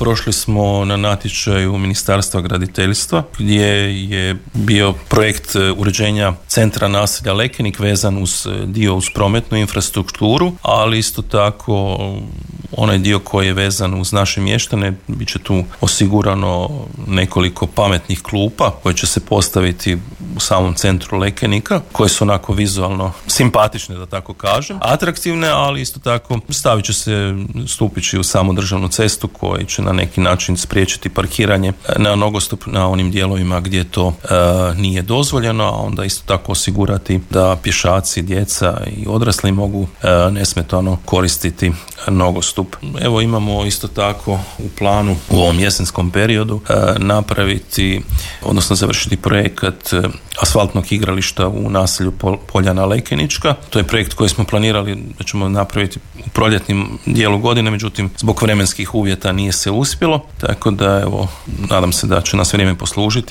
prošli smo na natječaju Ministarstva graditeljstva gdje je bio projekt uređenja centra naselja Lekenik vezan uz prometnu infrastrukturu, ali isto tako onaj dio koji je vezan uz naše mještane, bit će tu osigurano nekoliko pametnih klupa koje će se postaviti u samom centru Lekenika, koje su onako vizualno simpatične, da tako kažem, atraktivne, ali isto tako stavit će se stupići u samu državnu cestu koji će na neki način spriječiti parkiranje na nogostup na onim dijelovima gdje to nije dozvoljeno, a onda isto tako osigurati da pješaci, djeca i odrasli mogu nesmetano koristiti nogostup. Evo imamo isto tako u planu u ovom jesenskom periodu napraviti, odnosno završiti projekat asfaltnog igrališta u naselju Poljana Lekenička. To je projekt koji smo planirali da ćemo napraviti u proljetnim dijelu godine, međutim zbog vremenskih uvjeta nije se uspjelo, tako da evo nadam se da će nas vrijeme poslužiti